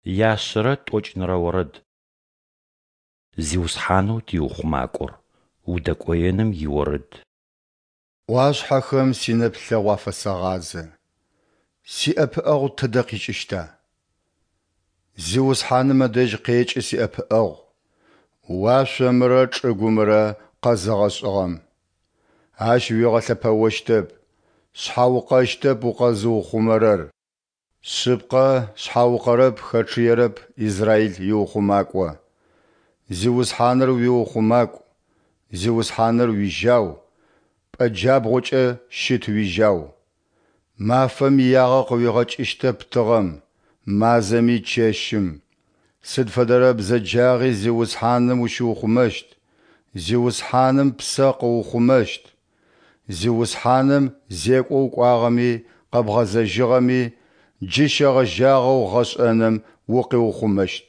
Яшъэрэ тӏокӏнырэ орэд. Зиусхьанэу тиухъумакӏор, удэкӏоеным иорэд. ӏуашъхьэхэм синэплъэгъу афэсэгъазэ, сиӏэпыӏэгъу тыдэ къикӏыщта? Зиусхьаным ыдэжь къекӏы сиӏэпыӏэгъу, уашъомрэ чӏыгумрэ Къэзыгъэшӏыгъэм. Ащ уигъэлъэпэощтэп, шъхьаукъэщтэп укъэзыухъумэрэр. Шъыпкъэ, шъхьаукъэрэп, хэчъыерэп Израил иухъумакӏо. Зиусхьаныр уиухъумакӏу, Зиусхьаныр уижьау, пӏэ джабгъукӏэ щыт уижьау. Мафэм иягъэ къыуигъэкӏыщтэп тыгъэм, мазэми чэщым. Сыд фэдэрэ бзэджагъи Зиусхьаным ущиухъумэщт, Зиусхьаным ппсэ къыухъумэщт. Зиусхьаным зекӏо укӏуагъэми къэбгъэзэжьыгъэми, джы щегъэжьагъэу гъэшӏэным укъиухъумэщт.